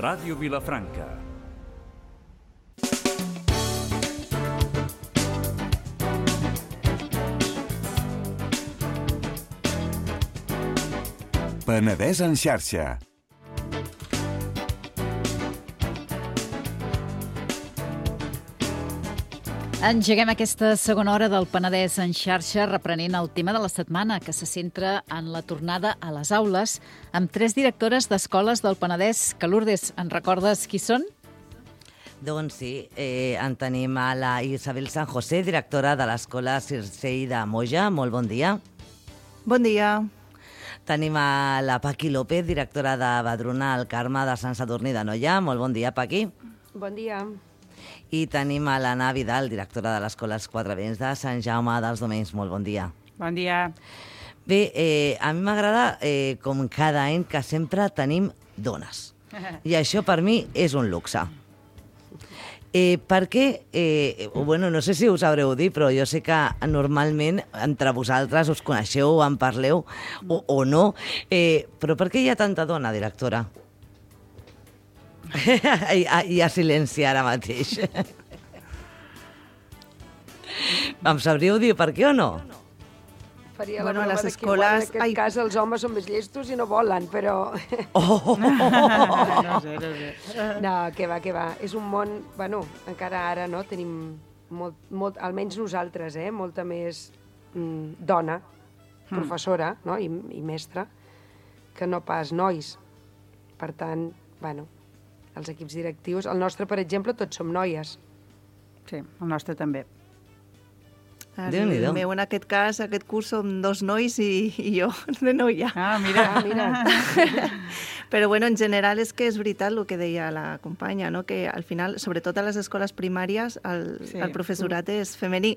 Ràdio Vilafranca. Penedès en xarxa. Engeguem aquesta segona hora del Penedès en xarxa reprenent el tema de la setmana, que se centra en la tornada a les aules, amb 3 directores d'escoles del Penedès. Que Lourdes, en recordes qui són? Doncs sí, en tenim a la Isabel San José, directora de l'Escola Circei de Moja. Molt bon dia. Bon dia. Tenim a la Paqui López, directora de Badruna al Carme de Sant Sadurní d'Anoia. Molt bon dia, Paqui. Bon dia. I tenim a l'Anna Vidal, directora de l'Escola Els Quatre Vents de Sant Jaume dels Domenys. Molt bon dia. Bon dia. Bé, a mi m'agrada, com cada any, que sempre tenim dones. I això per mi és un luxe. Perquè, bueno, no sé si us sabreu dir, però jo sé que normalment entre vosaltres us coneixeu, en parleu o no, però per què hi ha tanta dona, directora? Hi ha silenci ara mateix. Em sabríeu dir per què o no? Faria Bueno, la broma les que escoles- igual, en aquest cas els homes són més llestos i no volen, però... Oh! No sé. No, que va. És un món, bueno, encara ara, no?, tenim molt, almenys nosaltres, molta més dona, professora, no?, i mestra, que no pas nois. Per tant, bueno, els equips directius... El nostre, per exemple, tots som noies. Sí, el nostre també. Déu-n'hi-do. El meu, en aquest cas, aquest curs som 2 nois i jo de noia. Ah, mira. Però, bueno, en general és que és veritat el que deia la companya, no? Que al final, sobretot a les escoles primàries, el professorat és femení.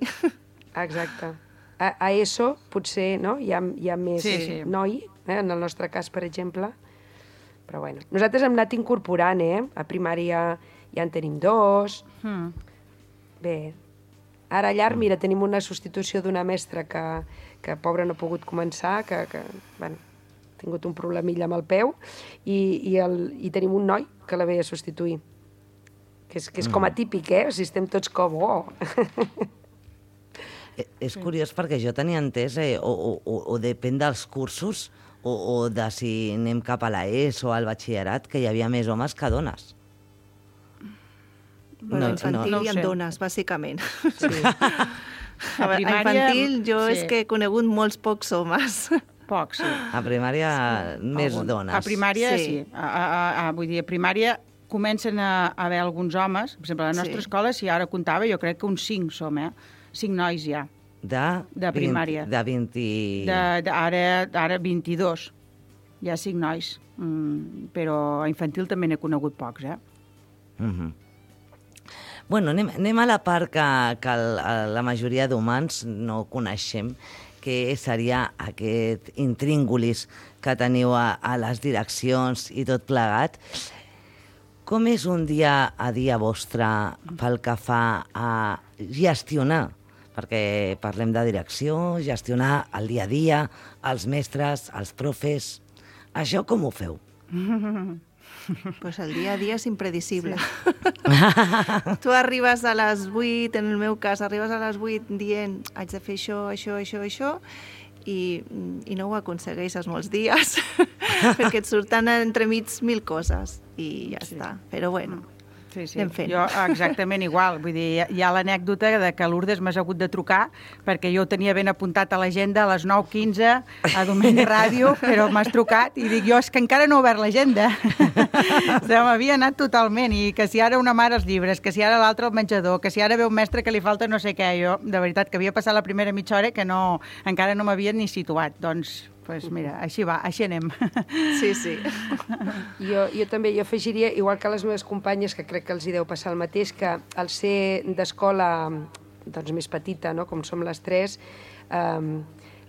Exacte. A ESO, potser, no?, hi ha més noi, en el nostre cas, per exemple. Però, bueno, nosaltres hem anat incorporant, A primària ja en tenim 2. Bé, ara a llarg, mira, tenim una substitució d'una mestra que pobra no ha pogut començar, que bueno, ha tingut un problemilla amb el peu, i tenim un noi que la ve a substituir. Que és com atípic, O sigui, estem tots com... Oh. És curiós perquè jo tenia entès, o depèn dels cursos, o de si anem cap a l'ESO o al batxillerat, que hi havia més homes que dones. Bueno, infantil no ho i en sé. dones, bàsicament. Sí. A infantil jo és que he conegut molts pocs homes. Poc, sí. A primària, més dones. A primària, Sí. sí. Vull dir, a primària comencen a haver alguns homes. Per exemple, a la nostra Sí. escola, si ara comptava, jo crec que uns 5 som, 5 nois ja. De primària. De 20... Ara 22. Hi ha 5 nois. Però a infantil també n'he conegut pocs, Bueno, anem a la part que la majoria d'humans no coneixem, que seria aquest intríngulis que teniu a les direccions i tot plegat. Com és un dia a dia vostre pel que fa a gestionar? Perquè parlem de direcció, gestionar el dia a dia, els mestres, els profes... Això com ho feu? Pues el dia a dia és impredicible. Tu arribes a les 8, en el meu cas, arribes a les 8 dient haig de fer això, i no ho aconsegueixes molts dies, perquè et surten entremig 1000 coses, i ja està. Però bueno, Sí. anem fent. Jo exactament igual. Vull dir, hi ha l'anècdota de que Lourdes m'has hagut de trucar perquè jo ho tenia ben apuntat a l'agenda a les 9:15 a Domeny Ràdio, però m'has trucat i dic jo és que encara no he obert l'agenda. Se m'havia anat totalment i que si ara una mare els llibres, que si ara l'altra al menjador, que si ara ve un mestre que li falta no sé què. Jo, de veritat, que havia passat la primera mitja hora que encara no m'havia ni situat. Doncs, mira, així va, així anem. Sí. Jo també afegiria, igual que les meves companyes, que crec que els hi deu passar el mateix, que al ser d'escola doncs, més petita, no?, com som les 3,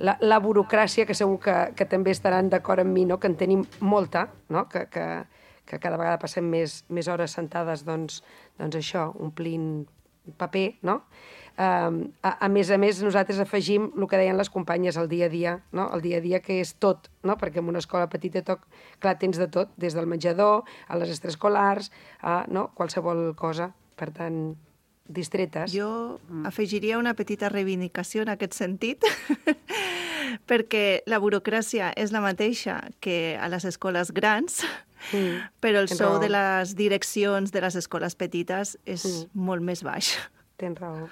la burocràcia, que segur que també estaran d'acord amb mi, no?, que en tenim molta, no?, que cada vegada passem més hores sentades, doncs això, omplint paper, no? A més, nosaltres afegim el que deien les companyes, el dia a dia, no? El dia a dia que és tot, no? Perquè en una escola petita, clar, tens de tot, des del menjador, a les extraescolars, no? Qualsevol cosa. Per tant, distretes. Jo afegiria una petita reivindicació en aquest sentit, perquè la burocràcia és la mateixa que a les escoles grans, però el sou de les direccions de les escoles petites és molt més baix. Tens raó.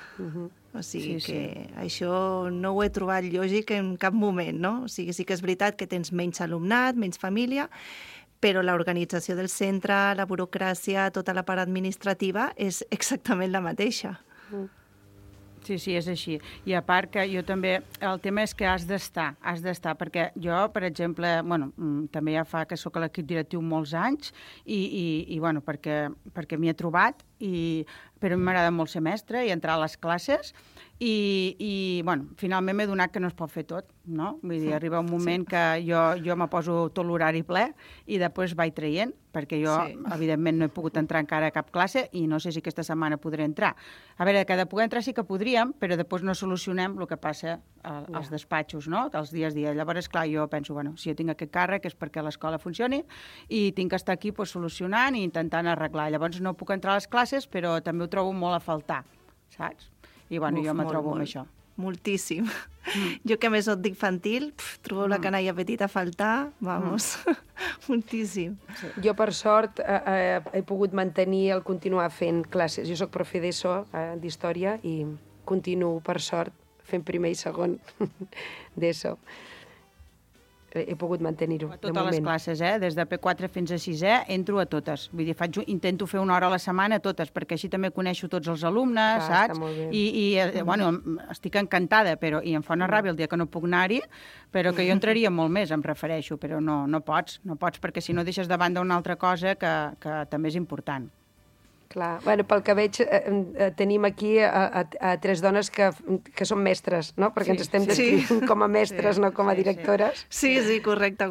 O sigui que això no ho he trobat lògic en cap moment, no? O sigui, sí que és veritat que tens menys alumnat, menys família, però l'organització del centre, la burocràcia, tota la part administrativa és exactament la mateixa. Sí, és així. I a part que jo també, el tema és que has d'estar, perquè jo, per exemple, bueno, també ja fa que sóc a l'equip directiu molts anys i bueno, perquè m'hi he trobat, però m'agrada molt ser mestre i entrar a les classes i bueno, finalment m'he donat que no es pot fer tot, no? Vull dir, arriba un moment que jo me poso tot l'horari ple i després vaig traient, perquè jo, evidentment, no he pogut entrar encara a cap classe i no sé si aquesta setmana podré entrar. A veure, que de poder entrar sí que podríem, però després no solucionem el que passa als despatxos, no? Els dies a dia. Llavors, clar, jo penso, bueno, si jo tinc aquest càrrec és perquè l'escola funcioni i tinc que estar aquí solucionant i intentant arreglar. Llavors no puc entrar a les classes, però també ho trobo molt a faltar, saps? I bueno, jo me trobo amb això. Moltíssim. Jo que més soc d'infantil, trobo la canalla petita a faltar, vamos, moltíssim. Jo, per sort, he pogut mantenir el continuar fent classes. Jo soc profe d'ESO, d'història, i continuo, per sort, fent primer i segon d'ESO. He pogut mantenir-ho, de moment. A totes les classes, des de P4 fins a 6è, entro a totes. Vull dir, intento fer una hora a la setmana a totes, perquè així també coneixo tots els alumnes, saps? Bueno, estic encantada, i em fa una ràbia el dia que no puc anar-hi, però que jo entraria molt més, em refereixo, però no pots, perquè si no deixes de banda una altra cosa que també és important. Clar. Bueno, pel que veig, tenim aquí a tres dones que són mestres, no? Perquè ens estem descrivint com a mestres, no com a directores. Sí, correcte.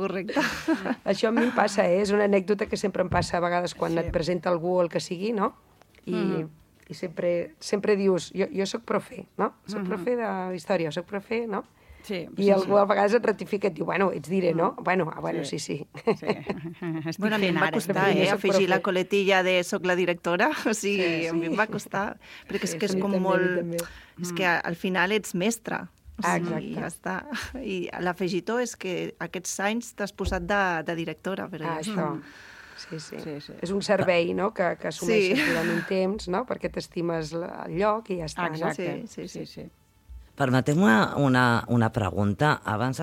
Això a mi em passa, és una anècdota que sempre em passa a vegades quan et presenta algú o el que sigui, no? I sempre dius, jo soc profe, no? Soc profe d'història, soc profe, no? I algú a vegades et ratifica i et diu, bueno, ets diré, no? Bueno, sí. Bueno, a mi em va costar, afegir la coletilla de soc la directora, o sigui, a mi em va costar, perquè és que és com molt... És que al final ets mestre, i ja està. I l'afegitó és que aquests anys t'has posat de directora, però ja està. Sí. És un servei, no?, que assumeixes durant un temps, no?, perquè t'estimes el lloc i ja està. Exacte, sí. Permeteu-me una pregunta. Abans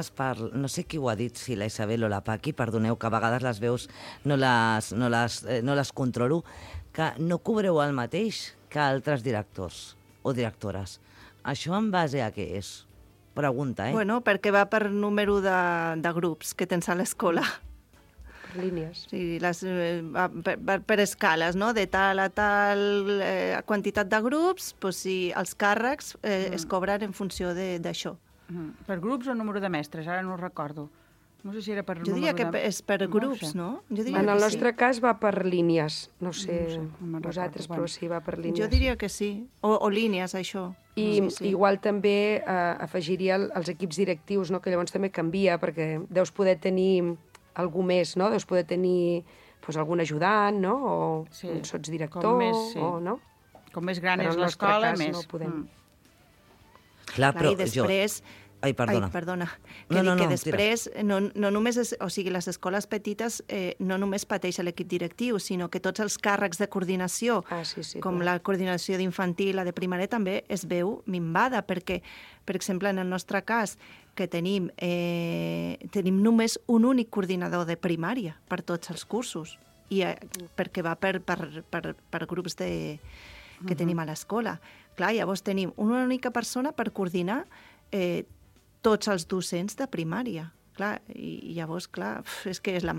no sé qui ho ha dit, si la Isabel o la Paqui, perdoneu que a vegades les veus no les controlo, que no cobreu el mateix que altres directors o directores. Això en base a què és? Pregunta, Bueno, perquè va per número de grups que tens a l'escola. Per línies. Sí, per escales, no? De tal a tal quantitat de grups, doncs sí, els càrrecs es cobren en funció d'això. Per grups o número de mestres? Ara no ho recordo. No sé si era per número de... Jo diria que és per grups, no? En el nostre cas va per línies. No sé vosaltres, però sí, va per línies. Jo diria que sí. O línies, això. I igual també afegiria els equips directius, que llavors també canvia, perquè deus poder tenir algú més, no? Deus poder tenir algun ajudant, no? O un sotsdirector, no? Com més gran és l'escola, més. No podem. Clar, però i després... Ai, perdona. Perdona. Que després, no només o sigui, les escoles petites no només pateix l'equip directiu, sinó que tots els càrrecs de coordinació, com la coordinació d'infantil, la de primària, també es veu minvada, perquè, per exemple, en el nostre cas, que tenim només un únic coordinador de primària per tots els cursos, i perquè va per grups que tenim a l'escola. Clar, llavors tenim una única persona per coordinar tots els docents de primària. clar, i llavors, clar, és que és el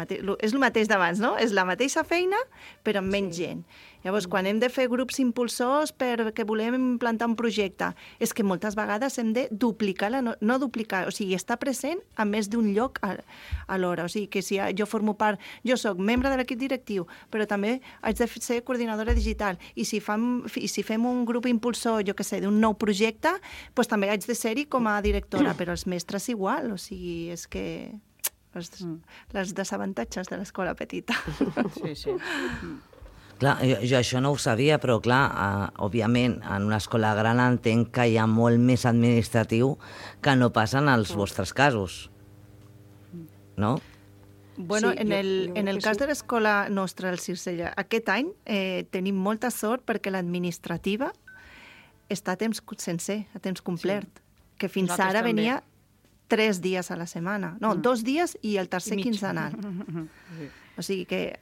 mateix d'abans, no? És la mateixa feina, però amb menys gent. Llavors, quan hem de fer grups impulsors perquè volem implantar un projecte, és que moltes vegades hem de duplicar, no duplicar, o sigui, estar present a més d'un lloc alhora. O sigui, que si jo formo part, jo sóc membre de l'equip directiu, però també haig de ser coordinadora digital, i si fem un grup impulsor, jo què sé, d'un nou projecte, doncs també haig de ser-hi com a directora, però els mestres igual, o sigui, és que les desavantatges de l'escola petita. Sí, sí. Clar, jo això no ho sabia, però clar, òbviament, en una escola gran entenc que hi ha molt més administratiu que no passa en els vostres casos, no? Bueno, en el cas de l'escola nostra, el Circella, aquest any tenim molta sort perquè l'administrativa està a temps sencer, a temps complet, que fins ara venia 3 dies a la setmana. No, 2 dies i el tercer quinzenal. O sigui que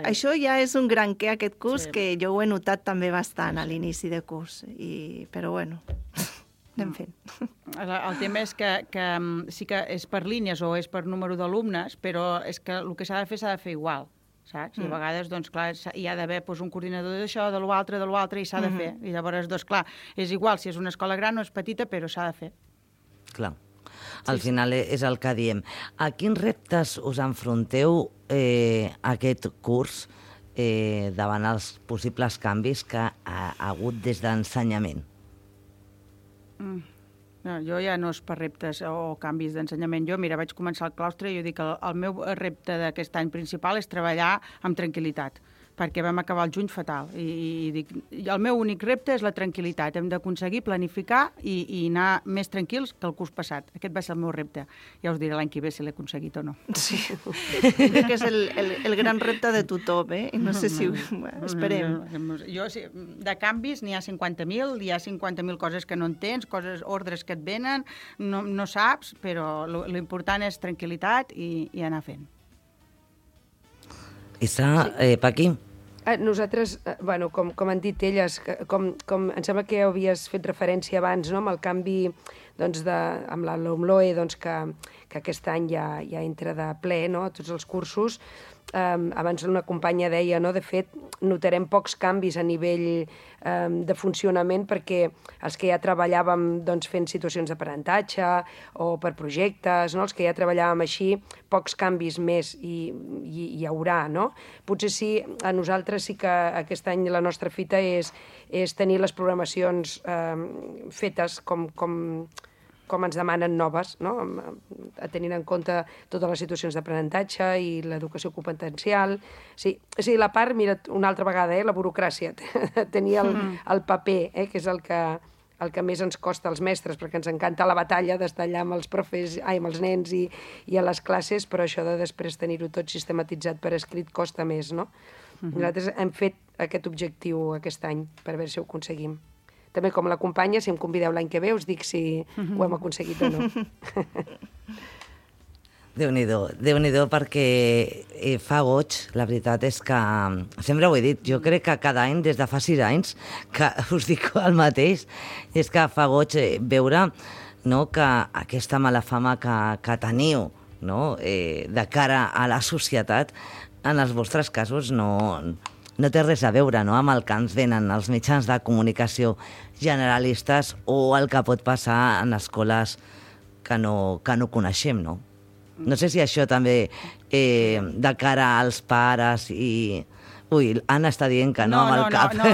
això ja és un gran què aquest curs, que jo ho he notat també bastant a l'inici de curs. Però bueno, anem fent. El tema és que sí que és per línies o és per número d'alumnes, però és que el que s'ha de fer igual, saps? I a vegades, doncs, clar, hi ha d'haver un coordinador d'això, de l'altre, i s'ha de fer. I llavors, doncs, clar, és igual si és una escola gran o és petita, però s'ha de fer. Clar. Al final és el que diem. A quins reptes us enfronteu aquest curs davant els possibles canvis que ha hagut des d'ensenyament? Jo ja no és per reptes o canvis d'ensenyament. Jo, mira, vaig començar al claustre i jo dic que el meu repte d'aquest any principal és treballar amb tranquil·litat, perquè vam acabar el juny fatal. I dic, el meu únic repte és la tranquil·litat. Hem d'aconseguir planificar i anar més tranquils que el curs passat. Aquest va ser el meu repte. Ja us diré l'any que ve si l'he aconseguit o no. Sí, crec que és el gran repte de tothom, eh? I no sé si... Esperem. Jo, de canvis n'hi ha 50.000, hi ha 50.000 coses que no entens, ordres que et venen, no saps, però l'important és tranquil·litat i anar fent. Paqui? Nosaltres, bueno, com han dit elles, com em sembla que havies fet referència abans, no?, amb el canvi amb la LOMLOE, que aquest any ja entra de ple, no?, a tots els cursos. Abans una companya deia, no?, de fet, notarem pocs canvis a nivell de funcionament perquè els que ja treballàvem fent situacions d'aprenentatge o per projectes, no?, els que ja treballàvem així, pocs canvis més hi haurà, no? Potser sí, a nosaltres sí que aquest any la nostra fita és tenir les programacions fetes com ens demanen noves, no?, tenint en compte totes les situacions d'aprenentatge i l'educació competencial. Sí, la part, mira, una altra vegada, la burocràcia, tenir el paper, que és el que més ens costa als mestres, perquè ens encanta la batalla d'estar allà amb els profes, amb els nens i a les classes, però això de després tenir-ho tot sistematitzat per escrit costa més, no? Nosaltres hem fet aquest objectiu aquest any, per veure si ho aconseguim. També com la companya, si em convideu l'any que ve, us dic si ho hem aconseguit o no. Déu-n'hi-do, perquè fa goig, la veritat és que, sempre ho he dit, jo crec que cada any, des de fa 6 anys, que us dic el mateix, és que fa goig veure, no, que aquesta mala fama que teniu, no, de cara a la societat, en els vostres casos no té res a veure, no?, amb el que ens venen els mitjans de comunicació generalistes o el que pot passar en escoles que no coneixem, no? No sé si això també de cara als pares i... Ui, Anna està dient que no amb el cap. No,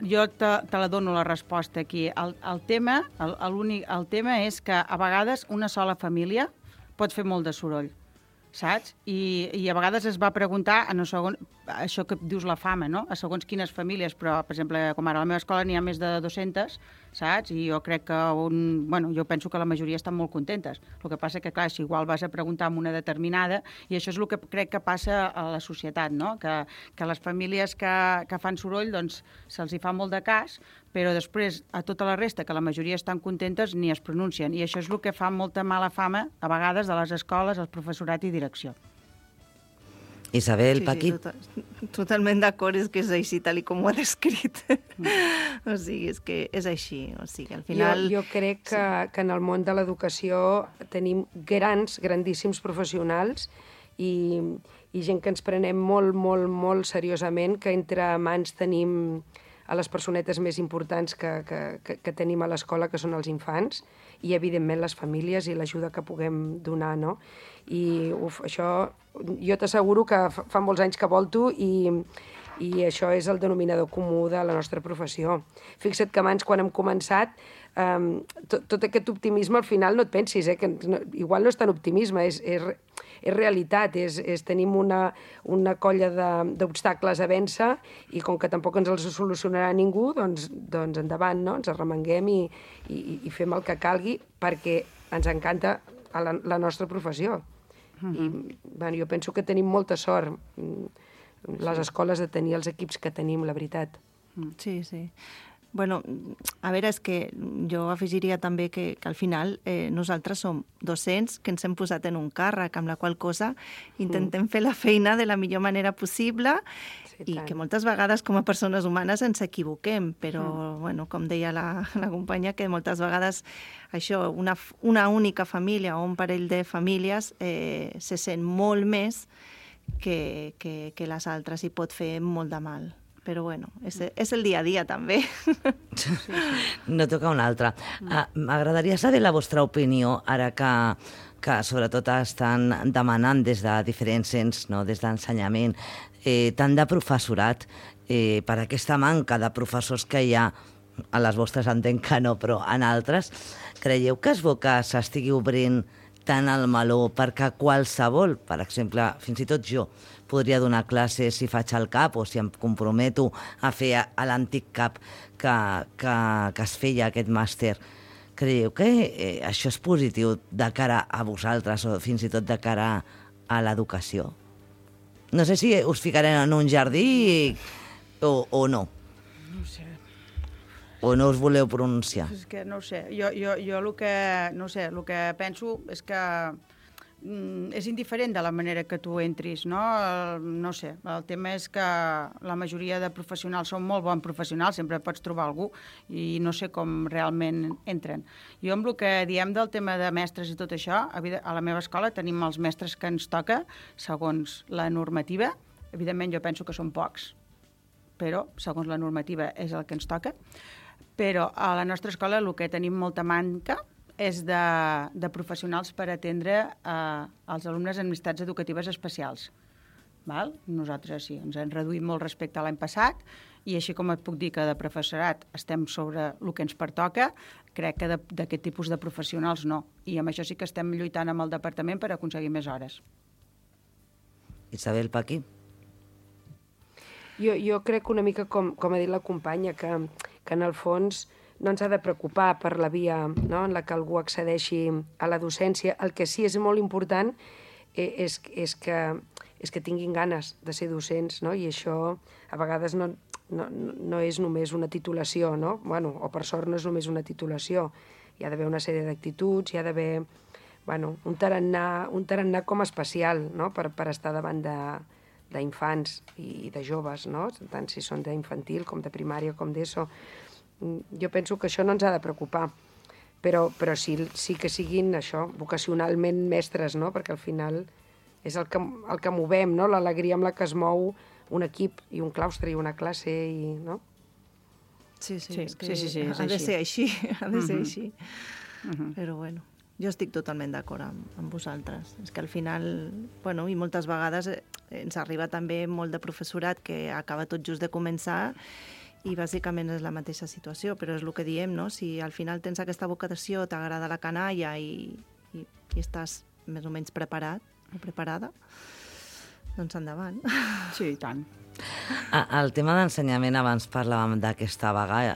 jo te la dono la resposta aquí. El tema és que a vegades una sola família pot fer molt de soroll, saps? I a vegades es va preguntar, això que dius la fama, no?, a segons quines famílies, però, per exemple, com ara a la meva escola n'hi ha més de 200, saps? I jo crec que jo penso que la majoria estan molt contentes. El que passa que, clar, si igual vas a preguntar amb una determinada, i això és el que crec que passa a la societat, no?, que les famílies que fan soroll, doncs, se'ls hi fa molt de cas, però després a tota la resta, que la majoria estan contentes, ni es pronuncien. I això és el que fa molta mala fama, a vegades, de les escoles, el professorat i direcció. Isabel, Paqui? Totalment d'acord, és que és així, tal com ho ha descrit. O sigui, és que és així. O sigui, al final... Jo crec que en el món de l'educació tenim grandíssims professionals i gent que ens prenem molt seriosament, que entre mans tenim a les personetes més importants que tenim a l'escola, que són els infants, i, evidentment, les famílies i l'ajuda que puguem donar, no? I, això, jo t'asseguro que fa molts anys que volto i això és el denominador comú de la nostra professió. Fixa't que abans, quan hem començat, tot aquest optimisme, al final, no et pensis, que igual no és tant optimisme, és realitat, tenim una colla d'obstacles a vèncer i com que tampoc ens els solucionarà ningú, doncs endavant, no? Ens arremanguem i fem el que calgui perquè ens encanta la nostra professió. I jo penso que tenim molta sort, les escoles, de tenir els equips que tenim, la veritat. Sí. Bueno, a veure, és que jo afegiria també que al final nosaltres som docents que ens hem posat en un càrrec, amb la qual cosa intentem fer la feina de la millor manera possible i que moltes vegades com a persones humanes ens equivoquem, però, bueno, com deia la companya, que moltes vegades això, una única família o un parell de famílies se sent molt més que les altres i pot fer molt de mal. Però, bueno, és el dia a dia, també. No toca un altre. M'agradaria saber la vostra opinió, ara que sobretot estan demanant des de diferents ens, no? Des d'ensenyament, tant de professorat, per aquesta manca de professors que hi ha, a les vostres entenc que no, però en altres, creieu que és bo que s'estigui obrint tant el meló perquè qualsevol, per exemple, fins i tot jo, podria donar classes si faig el CAP o si em comprometo a fer a l'antic CAP que es feia aquest màster. Creieu que això és positiu de cara a vosaltres o fins i tot de cara a l'educació? No sé si us ficarem en un jardí o no. No sé. O no us voleu pronunciar? És que no ho sé. Jo el que penso és que és indiferent de la manera que tu entris, no? No sé, el tema és que la majoria de professionals són molt bons professionals, sempre pots trobar algú i no sé com realment entren. Jo amb el que diem del tema de mestres i tot això, a la meva escola tenim els mestres que ens toca segons la normativa. Evidentment jo penso que són pocs, però segons la normativa és el que ens toca. Però a la nostra escola el que tenim molta manca és de professionals per atendre els alumnes en necessitats educatives especials. Val? Nosaltres sí, ens hem reduït molt respecte a l'any passat i així com et puc dir que de professorat estem sobre el que ens pertoca, crec que d'aquest tipus de professionals no. I amb això sí que estem lluitant amb el departament per aconseguir més hores. Isabel, Paqui? Jo crec una mica com ha dit la companya, que en el fons no ens ha de preocupar per la via, no?, en la que algú accedeixi a la docència. El que sí és molt important és que tinguin ganes de ser docents, no? I això a vegades no és només una titulació, no? Bueno, o per sort no és només una titulació. Hi ha d'haver una sèrie d'actituds, hi ha d'haver un tarannà com especial, no?, per estar davant d'infants i de joves, no?, tant si són d'infantil com de primària com d'ESO. Jo penso que això no ens ha de preocupar, però sí que siguin això, vocacionalment mestres, no?, perquè al final és el que movem, no?, l'alegria amb la que es mou un equip i un claustre i una classe, no? Sí, sí, ha de ser així, ha de ser així. Però bueno, jo estic totalment d'acord amb vosaltres. És que al final, bueno, i moltes vegades ens arriba també molt de professorat que acaba tot just de començar i bàsicament és la mateixa situació, però és el que diem, no? Si al final tens aquesta vocació, t'agrada la canalla i estàs més o menys preparat o preparada, doncs endavant. Sí, i tant. El tema d'ensenyament, abans parlàvem d'aquesta vaga,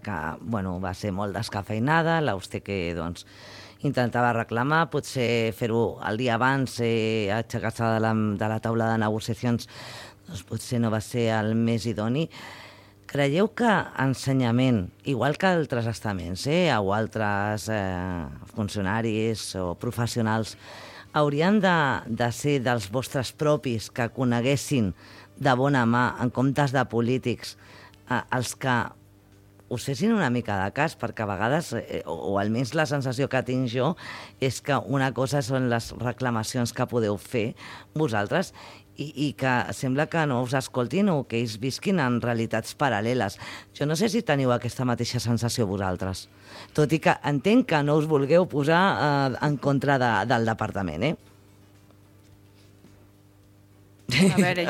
que va ser molt descafeinada, l'Auster que intentava reclamar, potser fer-ho el dia abans, aixecar-se de la taula de negociacions, doncs potser no va ser el més idoni. Creieu que ensenyament, igual que altres estaments o altres funcionaris o professionals, haurien de ser dels vostres propis que coneguessin de bona mà, en comptes de polítics, els que us fessin una mica de cas, perquè a vegades, o almenys la sensació que tinc jo, és que una cosa són les reclamacions que podeu fer vosaltres i que sembla que no us escoltin o que ells visquin en realitats paral·leles. Jo no sé si teniu aquesta mateixa sensació vosaltres, tot i que entenc que no us vulgueu posar en contra del departament, A veure,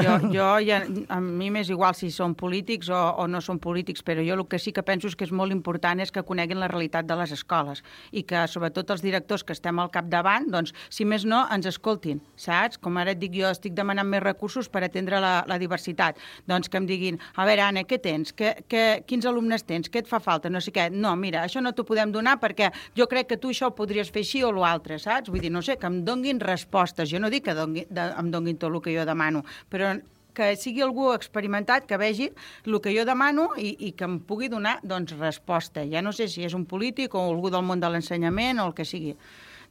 a mi m'és igual si són polítics o no són polítics, però jo el que sí que penso és que és molt important és que coneguin la realitat de les escoles i que, sobretot, els directors que estem al capdavant, doncs, si més no, ens escoltin, saps? Com ara et dic, jo estic demanant més recursos per atendre la diversitat. Doncs que em diguin, a veure, Anna, què tens? Quins alumnes tens? Què et fa falta? No sé què. No, mira, això no t'ho podem donar perquè jo crec que tu això ho podries fer així o l'altre, saps? Vull dir, no sé, que em donguin respostes. Jo no dic que em donguin tot el que jo demano, però que sigui algú experimentat, que vegi el que jo demano i que em pugui donar, doncs, resposta. Ja no sé si és un polític o algú del món de l'ensenyament o el que sigui.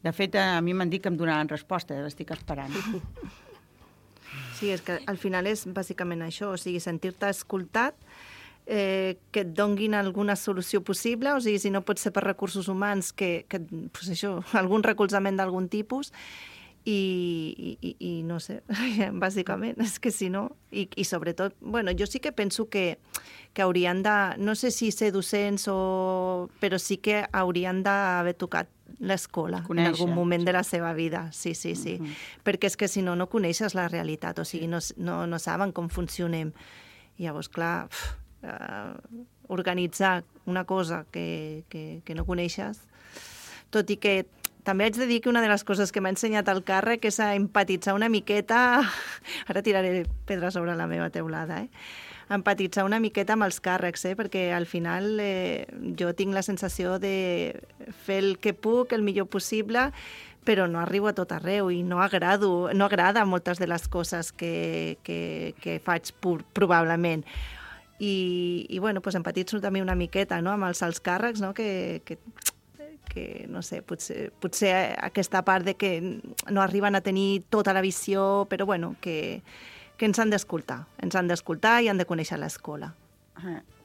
De fet, a mi m'han dit que em donaran resposta, l'estic esperant. Sí, és que al final és bàsicament això, o sigui, sentir-te escoltat, que et donguin alguna solució possible, o sigui, si no pot ser per recursos humans, que pues això, algun recolzament d'algun tipus, i no sé, bàsicament, és que si no... I sobretot, bueno, jo sí que penso que haurien de... No sé si ser docents però sí que haurien d'haver tocat l'escola en algun moment de la seva vida. Sí. Perquè és que si no, no coneixes la realitat, o sigui, no saben com funcionem. I llavors, clar, organitzar una cosa que no coneixes, tot i que també haig de dir que una de les coses que m'ha ensenyat el càrrec és a empatitzar una miqueta... Ara tiraré pedra sobre la meva teulada, empatitzar una miqueta amb els càrrecs, perquè al final jo tinc la sensació de fer el que puc, el millor possible, però no arribo a tot arreu i no agrada moltes de les coses que faig probablement. I bueno, doncs empatitzo també una miqueta, no?, amb els alts càrrecs, no?, que no sé, potser aquesta part de que no arriben a tenir tota la visió, però bueno, que ens han d'escoltar i han de conèixer l'escola.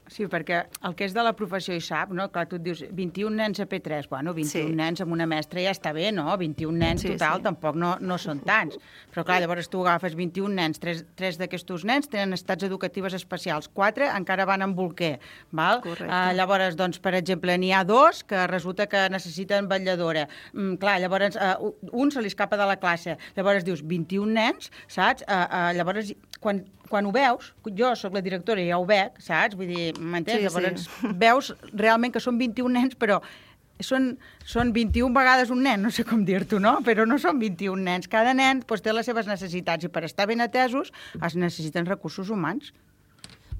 Sí, perquè el que és de la professió hi sap, no? Clar, tu et dius 21 nens a P3, bueno, 21 nens amb una mestra ja està bé, no? 21 nens total tampoc no són tants. Però clar, llavors tu agafes 21 nens, 3 d'aquests nens tenen necessitats educatives especials, 4 encara van amb bolquer, val? Llavors, doncs, per exemple, n'hi ha 2 que resulta que necessiten vetlladora. Clar, llavors un se li escapa de la classe. Llavors dius 21 nens, saps? Llavors, quan ho veus, jo soc la directora i ja ho veig, saps? Vull dir, m'entens? Llavors veus realment que són 21 nens, però són 21 vegades un nen, no sé com dir-t'ho, no? Però no són 21 nens. Cada nen té les seves necessitats i per estar ben atesos es necessiten recursos humans.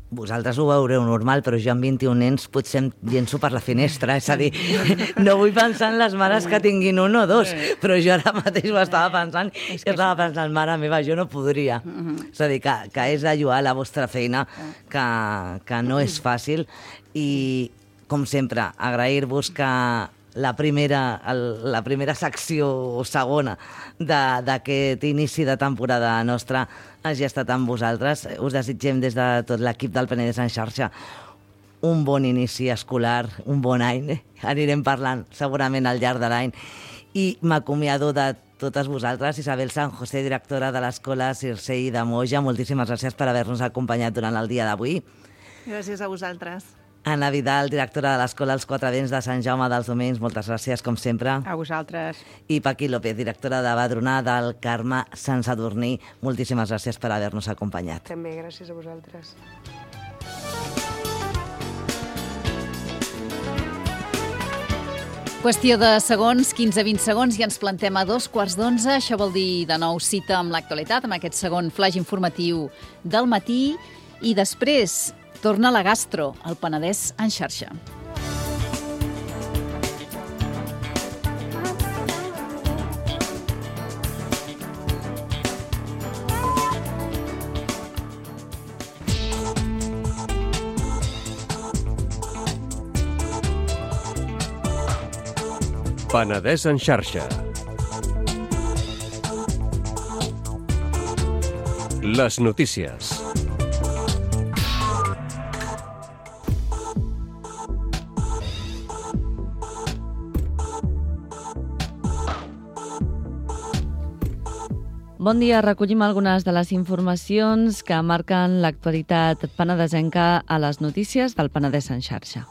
Vosaltres ho veureu normal, però jo amb 21 nens potser em llenço per la finestra, és a dir, no vull pensar en les mares que tinguin 1 o 2, però jo ara mateix ho estava pensant i estava pensant, mare meva, jo no podria. És a dir, que és de lloar la vostra feina, que no és fàcil i, com sempre, agrair-vos que la primera secció o segona d'aquest inici de temporada nostra hagi estat amb vosaltres. Us desitgem des de tot l'equip del Penedès en xarxa un bon inici escolar, un bon any. Anirem parlant segurament al llarg de l'any. I m'acomiado de totes vosaltres. Isabel San José, directora de l'Escola Circei de Moja, moltíssimes gràcies per haver-nos acompanyat durant el dia d'avui. Gràcies a vosaltres. Anna Vidal, directora de l'Escola Els Quatre Vents de Sant Jaume dels Domenys, moltes gràcies, com sempre. A vosaltres. I Paqui López, directora de Badronar del Carme Sant Sadurní, moltíssimes gràcies per haver-nos acompanyat. També, gràcies a vosaltres. Qüestió de segons, 15-20 segons, i ens plantem a 11:15. Això vol dir de nou cita amb l'actualitat, amb aquest segon flaix informatiu del matí, i després torna la gastro, al Penedès en xarxa. Penedès en xarxa. Les notícies. Bon dia, recollim algunes de les informacions que marquen l'actualitat penedesenca a les notícies del Penedès en xarxa.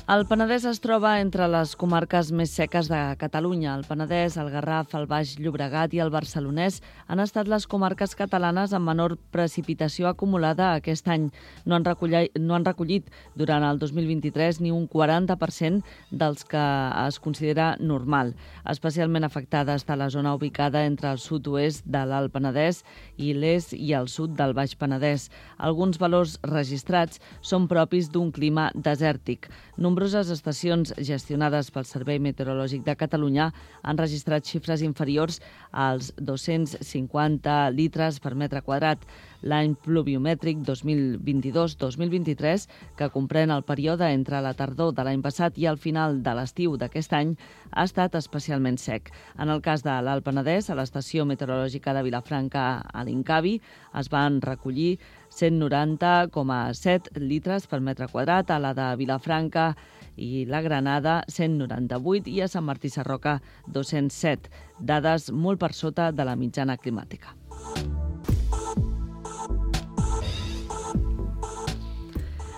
El Penedès es troba entre les comarques més seques de Catalunya. El Penedès, el Garraf, el Baix Llobregat i el Barcelonès han estat les comarques catalanes amb menor precipitació acumulada aquest any. No han recollit durant el 2023 ni un 40% dels que es considera normal. Especialment afectada està la zona ubicada entre el sud-oest de l'Alt Penedès i l'est i el sud del Baix Penedès. Alguns valors registrats són propis d'un clima desèrtic. Nombroses estacions gestionades pel Servei Meteorològic de Catalunya han registrat xifres inferiors als 250 litres per metre quadrat. L'any pluviomètric 2022-2023, que comprèn el període entre la tardor de l'any passat i el final de l'estiu d'aquest any, ha estat especialment sec. En el cas de l'Alt Penedès, a l'estació meteorològica de Vilafranca, a l'Incavi, es van recollir 190,7 litres per metre quadrat, a la de Vilafranca i la Granada 198 i a Sant Martí Sarroca 207, dades molt per sota de la mitjana climàtica.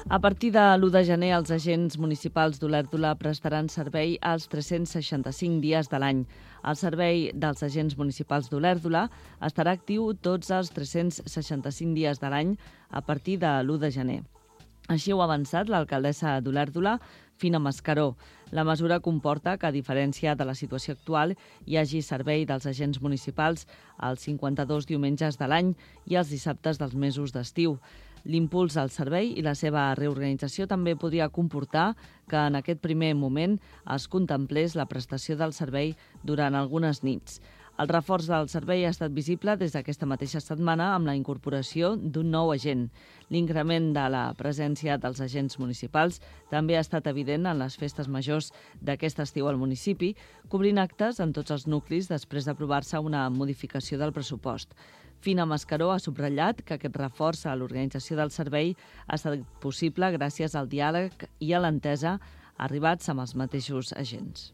A partir de l'1 de gener, els agents municipals d'Olèrdola prestaran servei als 365 dies de l'any. El servei dels agents municipals d'Olèrdola estarà actiu tots els 365 dies de l'any a partir de l'1 de gener. Així ho ha avançat l'alcaldessa d'Olèrdola, Fina Mascaró. La mesura comporta que, a diferència de la situació actual, hi hagi servei dels agents municipals els 52 diumenges de l'any i els dissabtes dels mesos d'estiu. L'impuls al servei i la seva reorganització també podria comportar que en aquest primer moment es contemplés la prestació del servei durant algunes nits. El reforç del servei ha estat visible des d'aquesta mateixa setmana amb la incorporació d'un nou agent. L'increment de la presència dels agents municipals també ha estat evident en les festes majors d'aquest estiu al municipi, cobrint actes en tots els nuclis després d'aprovar-se una modificació del pressupost. Fina Mascaró ha subratllat que aquest reforç a l'organització del servei ha estat possible gràcies al diàleg i a l'entesa arribats amb els mateixos agents.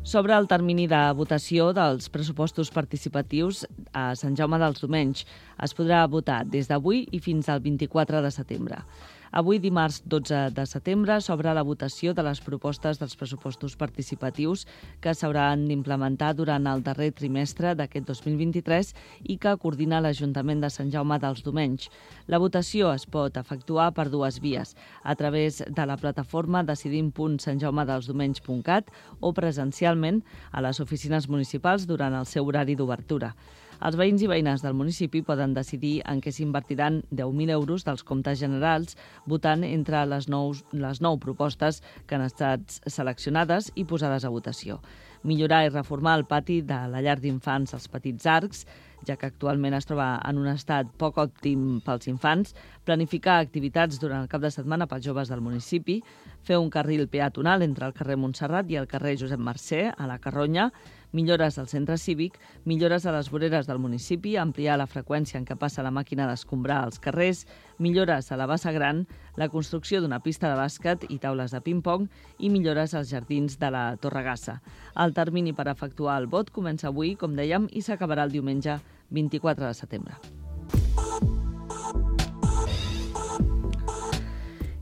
Sobre el termini de votació dels pressupostos participatius a Sant Jaume dels Domenys, es podrà votar des d'avui i fins al 24 de setembre. Avui, dimarts 12 de setembre, s'obre la votació de les propostes dels pressupostos participatius que s'hauran d'implementar durant el darrer trimestre d'aquest 2023 i que coordina l'Ajuntament de Sant Jaume dels Domenys. La votació es pot efectuar per dues vies, a través de la plataforma decidim.santjaumedelsdomenys.cat o presencialment a les oficines municipals durant el seu horari d'obertura. Els veïns i veïnes del municipi poden decidir en què s'invertiran 10.000 euros dels comptes generals votant entre les nou propostes que han estat seleccionades i posades a votació. Millorar i reformar el pati de la llar d'infants als Petits Arcs, ja que actualment es troba en un estat poc òptim pels infants, planificar activitats durant el cap de setmana pels joves del municipi, fer un carril peatonal entre el carrer Montserrat i el carrer Josep Mercè, a la Carronya, millores al centre cívic, millores a les voreres del municipi, ampliar la freqüència en què passa la màquina d'escombrar als carrers, millores a la Bassa Gran, la construcció d'una pista de bàsquet i taules de ping-pong i millores als jardins de la Torregassa. El termini per efectuar el vot comença avui, com dèiem, i s'acabarà el diumenge 24 de setembre.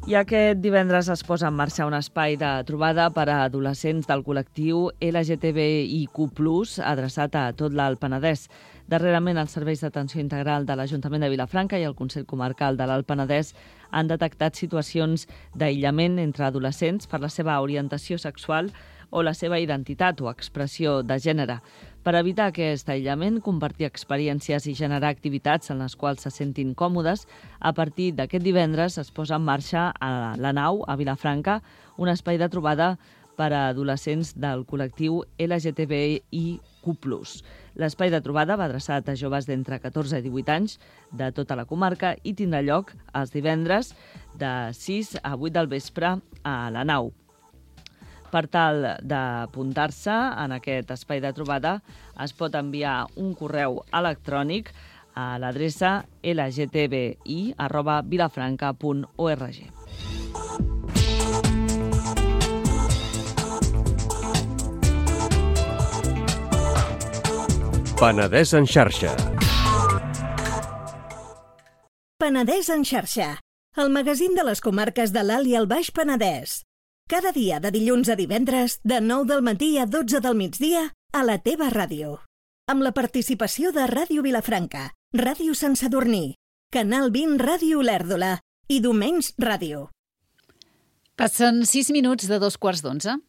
I aquest divendres es posa en marxa un espai de trobada per a adolescents del col·lectiu LGTBIQ+, adreçat a tot l'Alt Penedès. Darrerament, els serveis d'atenció integral de l'Ajuntament de Vilafranca i el Consell Comarcal de l'Alt Penedès han detectat situacions d'aïllament entre adolescents per la seva orientació sexual o la seva identitat o expressió de gènere. Per evitar aquest aïllament, compartir experiències i generar activitats en les quals se sentin còmodes, a partir d'aquest divendres es posa en marxa a la Nau, a Vilafranca, un espai de trobada per a adolescents del col·lectiu LGTBIQ+. L'espai de trobada va adreçat a joves d'entre 14 i 18 anys de tota la comarca i tindrà lloc els divendres de 6 a 8 del vespre a la Nau. Per tal d'apuntar-se en aquest espai de trobada, es pot enviar un correu electrònic a l'adreça lgtbi@vilafranca.org. Penedès en xarxa. Penedès en xarxa, el magazín de les comarques de l'Alt i el Baix Penedès. Cada dia de dilluns a divendres, de 9 del matí a 12 del migdia, a la teva ràdio. Amb la participació de Ràdio Vilafranca, Ràdio Sant Sadurní, Canal 20 Ràdio Olèrdola i Domenys Ràdio. Passen 6 minuts de 2:15.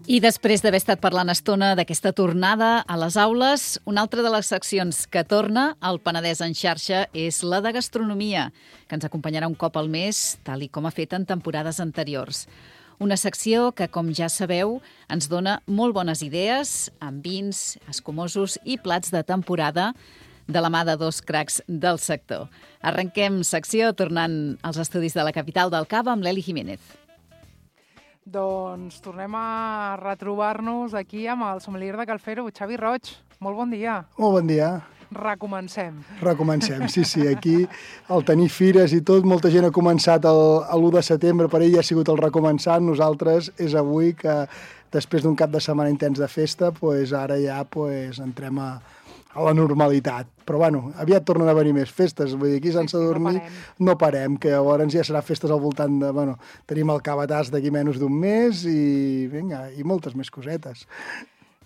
I després d'haver estat parlant estona d'aquesta tornada a les aules, una altra de les seccions que torna al Penedès en xarxa és la de gastronomia, que ens acompanyarà un cop al mes, tal i com ha fet en temporades anteriors. Una secció que, com ja sabeu, ens dona molt bones idees amb vins, escumosos i plats de temporada de la mà de dos cracs del sector. Arrenquem secció tornant als estudis de la capital del Cava amb l'Eli Jiménez. Doncs tornem a retrobar-nos aquí amb el sommelier de Calfero, Xavi Roig. Molt bon dia. Molt bon dia. Recomencem. Recomencem, sí. Aquí, al tenir fires i tot, molta gent ha començat l'1 de setembre, per ell ja ha sigut el recomençant. Nosaltres és avui que, després d'un cap de setmana intens de festa, ara ja entrem a la normalitat. Però, aviat tornen a venir més festes. Vull dir, aquí a Sant Sadurní no parem, que llavors ja serà festes al voltant de... tenim el Cabatàs d'aquí menys d'un mes i, i moltes més cosetes.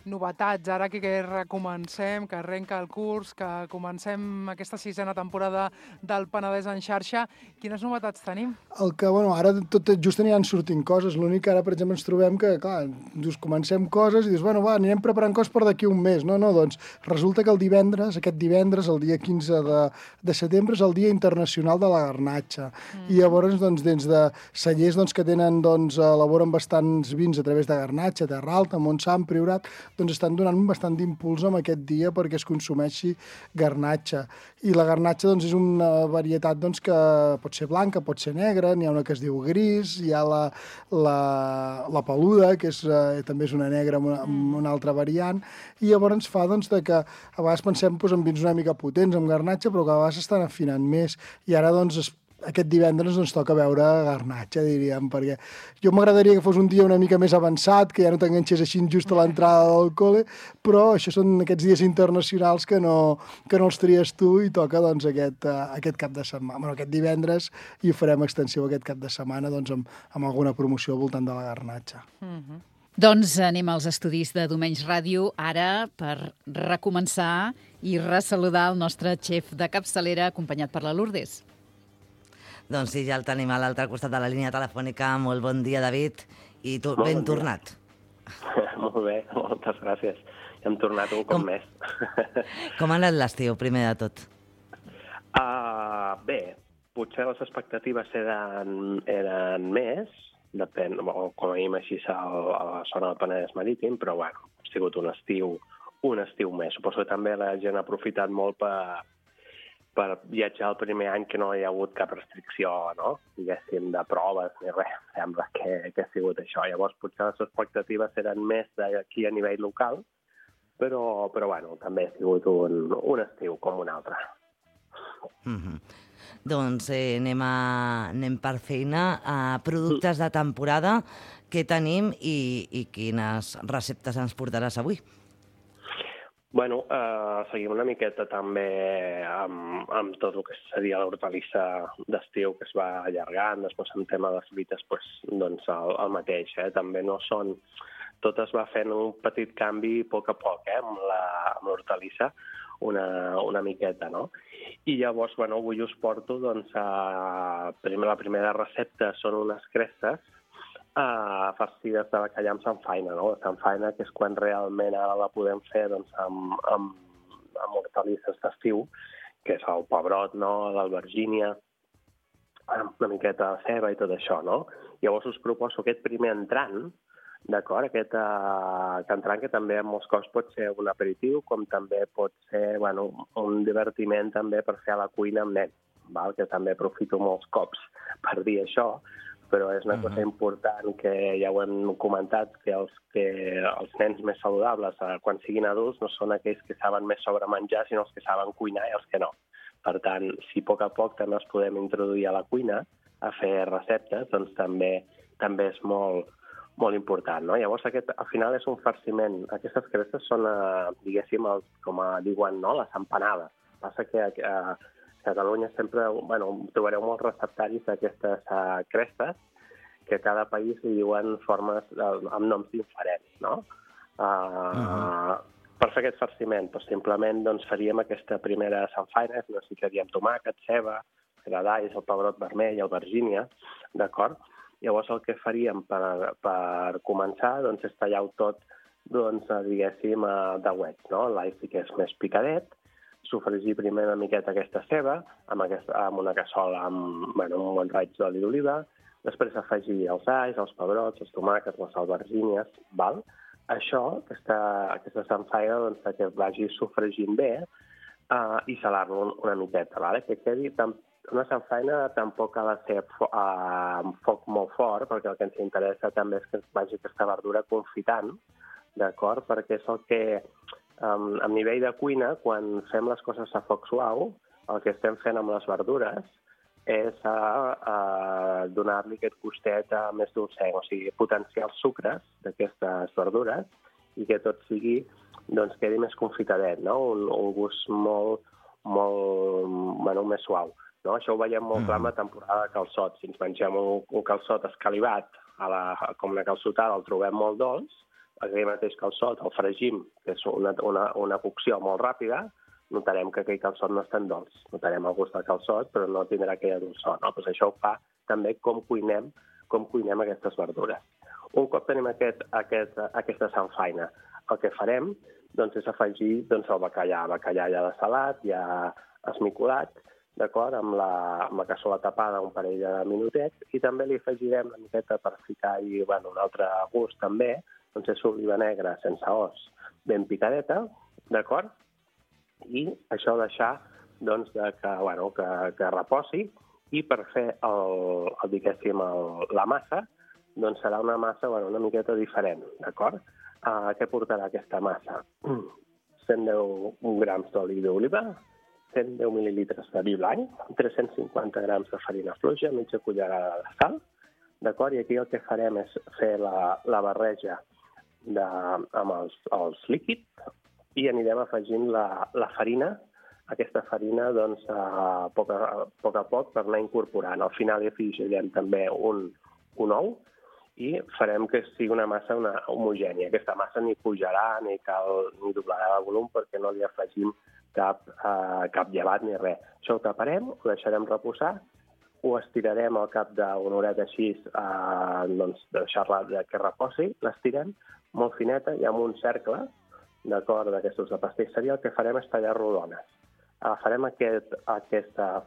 Novetats, ara que recomencem, que arrenca el curs, que comencem aquesta 6a temporada del Penedès en xarxa. Quines novetats tenim? Ara just aniran sortint coses. L'únic que ara, per exemple, ens trobem que, clar, comencem coses i dius, anirem preparant coses per d'aquí un mes. No, doncs resulta que aquest divendres, el dia 15 de setembre, és el Dia Internacional de la Garnatxa. I llavors, dins de cellers que tenen, elaboren bastants vins a través de Garnatxa, Terra Alta, Montsant, Priorat, estan donant bastant d'impuls en aquest dia perquè es consumeixi garnatxa. I la garnatxa és una varietat que pot ser blanca, pot ser negra, n'hi ha una que es diu gris, hi ha la peluda, que també és una negra amb una altra variant, i llavors ens fa que a vegades pensem en vins una mica potents amb garnatxa, però que a vegades estan afinant més. I ara aquest divendres ens toca veure garnatxa, diríem, perquè jo m'agradaria que fos un dia una mica més avançat, que ja no t'enganxés així just a l'entrada del col·le, però això són aquests dies internacionals que no els tries tu i toca aquest cap de setmana. Aquest divendres i ho farem extensiu aquest cap de setmana amb alguna promoció al voltant de la garnatxa. Doncs anem als estudis de Domenys Ràdio ara per recomençar i ressaludar el nostre xef de capçalera acompanyat per la Lourdes. Doncs sí, ja el tenim a l'altre costat de la línia telefònica. Molt bon dia, David. I tu, ben tornat. Molt bé, moltes gràcies. Ja hem tornat un cop més. Com ha anat l'estiu, primer de tot? Bé, potser les expectatives eren més, depèn, com a mínim així a la zona del Penedès Marítim, però ha sigut un estiu més. Suposo que també la gent ha aprofitat molt per viatjar el primer any que no hi ha hagut cap restricció, no? Diguéssim, de proves ni res. Sembla que ha sigut això. Llavors, potser les expectatives eren més d'aquí a nivell local, però també ha sigut un estiu com un altre. Doncs anem per feina. Productes de temporada, què tenim i quines receptes ens portaràs avui? Seguim una miqueta també amb tot el que seria l'hortalissa d'estiu que es va allargant, després en tema de fruites el mateix, també no són... Tot es va fent un petit canvi a poc, amb l'hortalissa, una miqueta, no? I llavors, avui us porto, la primera recepta són unes cresses farcides de bacallà amb samfaina, no? La samfaina, que és quan realment ara la podem fer amb hortalisses d'estiu, que és el pebrot, no? L'albergínia, una miqueta de ceba i tot això, no? Llavors us proposo aquest primer entrant, D'acord? Aquest cantran que també molts cops pot ser un aperitiu, com també pot ser un divertiment també per fer a la cuina amb nens, val? Que també aprofito molts cops per dir això, però és una cosa important que ja ho hem comentat, que els nens més saludables, quan siguin adults, no són aquells que saben més sobre menjar, sinó els que saben cuinar i els que no. Per tant, si a poc també els podem introduir a la cuina, a fer receptes, doncs també és molt important, no? Llavors, al final és un farciment. Aquestes crestes són, diguéssim, com diuen, no? Les empanades. Passa que a Catalunya sempre, trobareu molts receptaris d'aquestes crestes que a cada país li diuen formes amb noms diferents, no? Per fer aquest farciment, simplement faríem aquesta primera samfaina, necessitaríem tomàquet, ceba, gradalls, el pebrot vermell, albergínia, d'acord? Llavors el que faríem per començar és tallar-ho tot, diguéssim, de wets, no? L'all sí que és més picadet, sofregir primer una miqueta aquesta ceba amb una cassola amb un bon raig d'oli d'oliva, després afegir els alls, els pebrots, els tomàquets, les albergínies, val? Això, aquesta samfaina, que vagi sofregint bé i salar-lo una miqueta, vale? Que quedi una samfaina tampoc ha de ser amb foc molt fort, perquè el que ens interessa també és que vagi aquesta verdura confitant, d'acord? Perquè és el que, a nivell de cuina, quan fem les coses a foc suau, el que estem fent amb les verdures és donar-li aquest gustet més dolcenc, o sigui, potenciar els sucres d'aquestes verdures i que tot sigui, quedi més confitadet, no? Un gust molt més suau. No? Això ho veiem molt clar en la temporada de calçot. Si ens mengem un calçot escalivat, com una calçotada, el trobem molt dolç, aquell mateix calçot el fregim, que és una cocció molt ràpida, notarem que aquell calçot no és tan dolç. Notarem el gust del calçot, però no tindrà aquella dolçor. No? Pues això ho fa també com cuinem aquestes verdures. Un cop tenim aquesta samfaina, el que farem és afegir el bacallà. El bacallà ja desalat, ja esmicolat, d'acord, amb la cassola tapada un parell de minutets, i també li afegirem una miqueta per ficar-hi un altre gust també, és oliva negra sense os, ben picadeta, d'acord? I això deixar que reposi, i per fer la massa, serà una massa una miqueta diferent, d'acord? Què portarà aquesta massa? 110 grams d'oli d'oliva, 110 mil·lilitres de vi blanc, 350 grams de farina fluixa, mitja cullerada de sal, d'acord? I aquí el que farem és fer la barreja amb els líquids i anirem afegint la farina, aquesta farina a poc a poc per anar incorporant. Al final hi afegirem també un ou i farem que sigui una massa homogènia. Aquesta massa ni pujarà ni doblarà de volum perquè no li afegim cap llevat ni res. Això ho taparem, ho deixarem reposar, ho estirarem al cap d'una horeta així, deixar-la que reposi, l'estirem molt fineta i amb un cercle, d'acord, d'aquestos de pastisseria, el que farem és tallar rodones. Agafarem aquest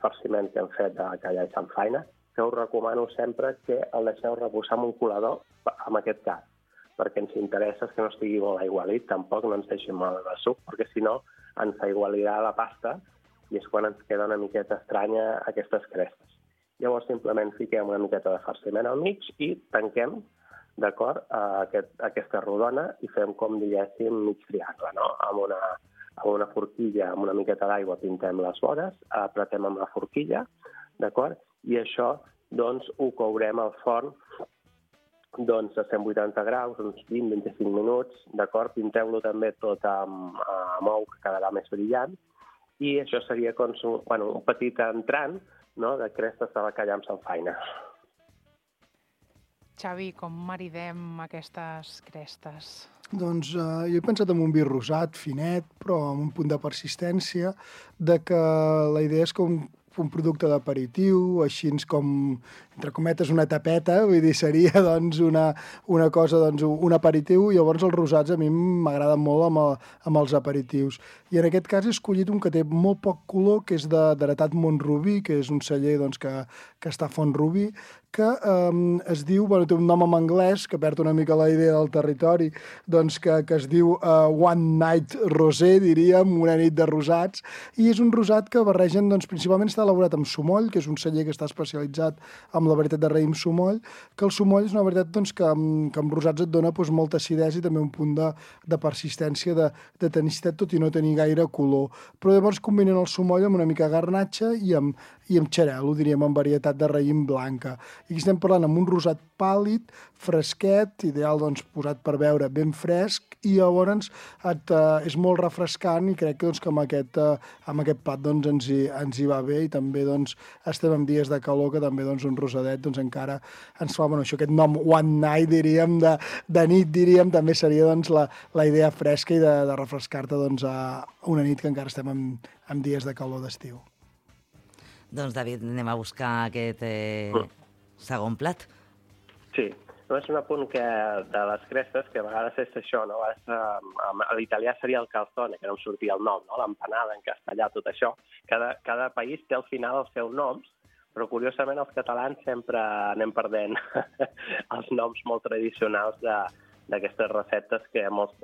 farciment que hem fet de bacallà i samfaina, que us recomano sempre que el deixeu reposar en un colador, en aquest cas, perquè ens interessa que no estigui molt aigualit, tampoc no ens deixi molt de suc, perquè si no ens aigualirà la pasta i és quan ens queda una miqueta estranya aquestes crestes. Llavors simplement fiquem una miqueta de farciment al mig i tanquem, d'acord, aquesta rodona i fem com diguéssim mig triangle, no? Amb una forquilla, amb una miqueta d'aigua pintem les vores, apretem amb la forquilla, d'acord? I això, ho courem al forn a 180 graus, uns 20-25 minuts, d'acord? Pinteu-lo també tot amb ou, que quedarà més brillant, i això seria com un petit entrant de crestes de bacallà amb samfaina. Xavi, com maridem aquestes crestes? Doncs jo he pensat en un vi rosat, finet, però amb un punt de persistència, de que la idea és com un producte d'aperitiu, així com, entre cometes, una tapeta, vull dir, seria una cosa, un aperitiu, i llavors els rosats a mi m'agraden molt amb els aperitius. I en aquest cas he escollit un que té molt poc color, que és d'Heretat Montrubí, que és un celler que està a Font-rubí, que es diu, té un nom en anglès, que perd una mica la idea del territori, doncs que es diu One Night Rosé, diríem, una nit de rosats, i és un rosat que barregen, doncs, principalment està elaborat amb sumoll, que és un celler que està especialitzat amb la varietat de raïm sumoll, que el sumoll és una varietat doncs, que amb rosats et dona doncs, molta acidesa i també un punt de persistència, de tenicitat, tot i no tenir gaire color. Però llavors combinen el sumoll amb una mica garnatxa i amb xarel·lo, diríem, amb varietat de raïm blanca. I aquí estem parlant amb un rosat pàl·lid, fresquet, ideal doncs, posat per beure ben fresc, i llavors és molt refrescant i crec que, doncs, que amb aquest plat doncs, ens hi va bé, i també doncs, estem en dies de calor que també doncs, un rosadet doncs, encara ens fa, això, aquest nom One Night, diríem, de nit, diríem, també seria doncs, la idea fresca i de refrescar-te doncs, a una nit que encara estem en dies de calor d'estiu. Doncs, David, anem a buscar aquest segon plat. Sí, no és un apunt que de les crestes, que a vegades és això, no? A l'italià seria el calzone, que no em sortia el nom, no? L'empanada en castellà, tot això. Cada país té al final els seus noms, però curiosament els catalans sempre anem perdent els noms molt tradicionals d'aquestes receptes que a molts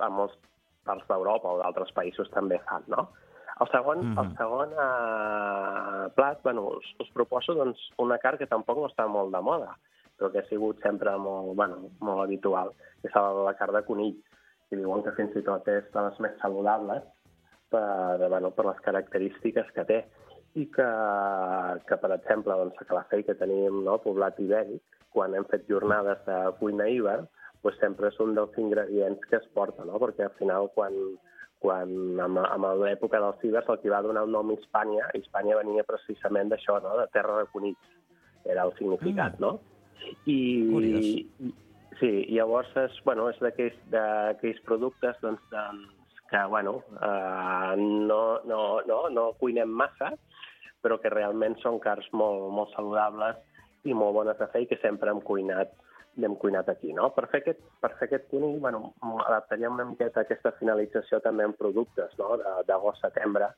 parts d'Europa o d'altres països també fan, no? El segon plat, us proposo doncs, una carn que tampoc no està molt de moda, però que ha sigut sempre molt habitual, que és la carn de conill, que diuen que fins i tot és de les més saludables per les característiques que té. I que per exemple, doncs, a Calafell, que tenim poblat ibèric, quan hem fet jornades de cuina hivern, doncs sempre és un dels ingredients que es porta, no? Perquè al final, amb l'època dels ibers, el que va donar el nom Hispània venia precisament d'això, no? De terra de conills, era el significat, no? I llavors és d'aquells productes que no cuinem massa, però que realment són carns molt saludables i molt bones de fer i que sempre hem cuinat aquí, no? Per fer aquest conill, adaptaríem una miqueta aquesta finalització també en productes, no? D'agost-setembre,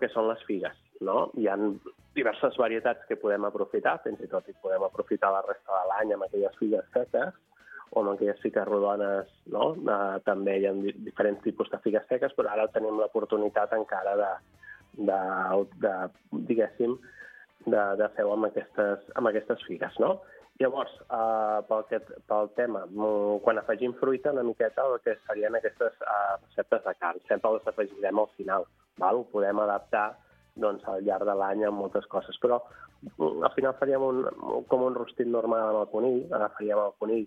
que són les figues, no? Hi ha diverses varietats que podem aprofitar, fins i tot hi podem aprofitar la resta de l'any amb aquelles figues seques o amb aquelles figues rodones, no? També hi ha diferents tipus de figues seques, però ara tenim l'oportunitat encara de fer-ho amb aquestes figues, no? Llavors, pel tema, quan afegim fruita, una miqueta el que serien aquestes receptes de carn, sempre les afegirem al final, val? Ho podem adaptar al llarg de l'any amb moltes coses, però al final faríem com un rostit normal amb el conill, agafaríem el conill,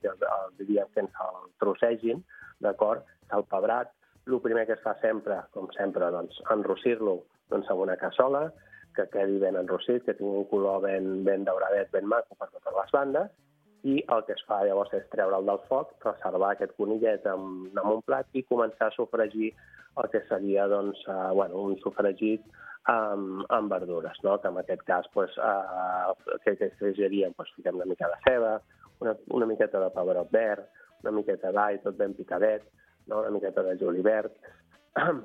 diríem que ens el trossegin, d'acord, salpebrat. El primer que es fa sempre, com sempre, enrossir-lo amb una cassola, que quedi ben enrossit, que tingui un color ben dauradet, ben maco per totes les bandes, i el que es fa llavors és treure'l del foc, reservar aquest conillet en un plat i començar a sofregir el que seria un sofregit amb verdures, no? Que en aquest cas que afegiríem, fiquem una mica de ceba, una miqueta de pebrot verd, una miqueta d'all, tot ben picadet, no? Una miqueta de julivert,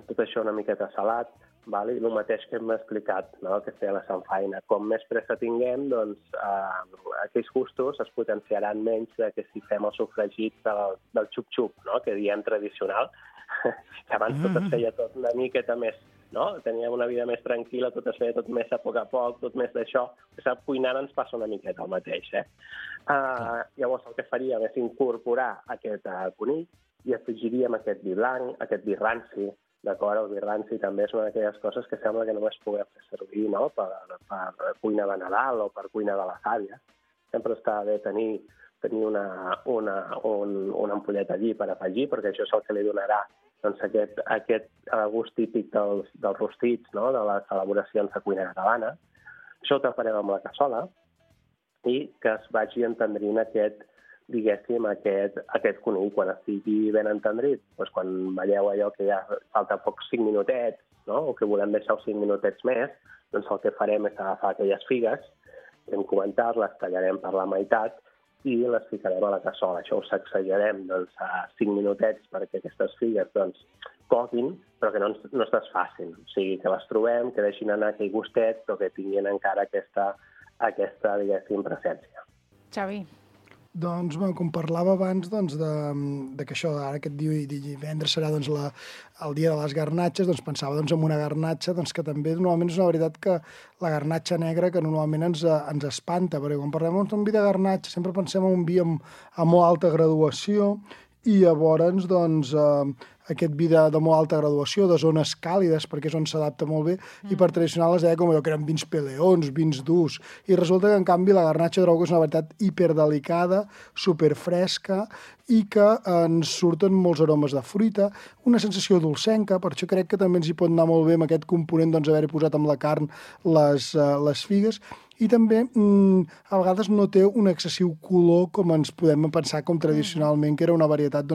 tot això una miqueta salat, val? I el mateix que hem explicat, no? Que feia la samfaina. Com més pressa tinguem, doncs aquells gustos es potenciaran menys que si fem el sofregit del xup-xup, no? Que diem tradicional, que abans tot es feia tot una miqueta més, no? Teníem una vida més tranquil·la, tot es feia tot més a poc, tot més d'això. Cuinant ens passa una miqueta el mateix, Llavors el que faríem és incorporar aquest conill i afegiríem aquest vi blanc, aquest vi ranci, d'acord? El vi ranci també és una d'aquelles coses que sembla que només puguem fer servir, no? Per cuina de Nadal o per cuina de les àvies. Sempre està bé tenir una ampolleta allí per afegir, perquè això és el que li donarà aquest gust típic dels rostits, no? De les elaboracions de cuina catalana. Això ho taparem amb la cassola i que es vagi entendrint aquest conill quan estigui ben entendrit. Doncs quan veieu allò que ja falta pocs 5 minutets, no? O que volem deixar 5 minutets més, doncs el que farem és agafar aquelles figues que hem comentat, les tallarem per la meitat i les ficarem a la cassola. Això ho sacsejarem a 5 minutets perquè aquestes figues coguin, però que no es desfacin. O sigui, que les trobem, que deixin anar aquell gustet, però que tinguin encara aquesta diguéssim, presència. Xavi. Doncs, com parlava abans, que això, ara aquest divendres serà el dia de les garnatxes, pensava en una garnatxa que també normalment és una veritat que la garnatxa negra que normalment ens espanta, perquè quan parlem d'un vi de garnatxa sempre pensem en un vi amb molt alta graduació i llavors aquest vi de molt alta graduació, de zones càlides, perquè és on s'adapta molt bé, i per tradicional es deia com allò que eren vins peleons, vins durs, i resulta que en canvi la garnatxa trobo que és una varietat hiperdelicada, superfresca, i que ens surten molts aromes de fruita, una sensació dolcenca, per això crec que també ens hi pot anar molt bé amb aquest component haver-hi posat amb la carn les figues, i també a vegades no té un excessiu color com ens podem pensar com tradicionalment, que era una varietat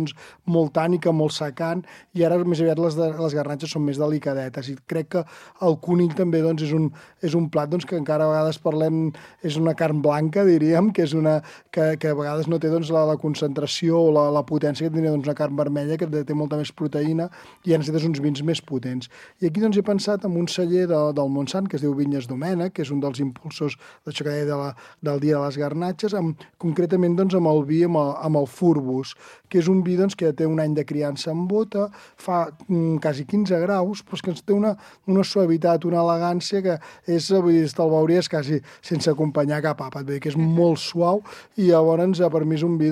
molt tànica, molt secant, i ara més aviat les garnatxes són més delicadetes, i crec que el conill també és un plat que encara a vegades parlem, és una carn blanca, diríem, que és que a vegades no té la concentració o la potència que tenia una carn vermella, que té molta més proteïna, i ja necessites uns vins més potents. I aquí he pensat en un celler del Montsant, que es diu Vinyes Domènech, que és un dels impulsors d'això que deia del dia de les garnatxes, concretament amb el vi, amb el Furbus, que és un vi que té un any de criança en bota, fa quasi 15 graus, però és que té una suavitat, una elegància que és, vull dir, te'l veuries quasi sense acompanyar cap àpat, vull dir que és molt suau, i llavors per mi és un vi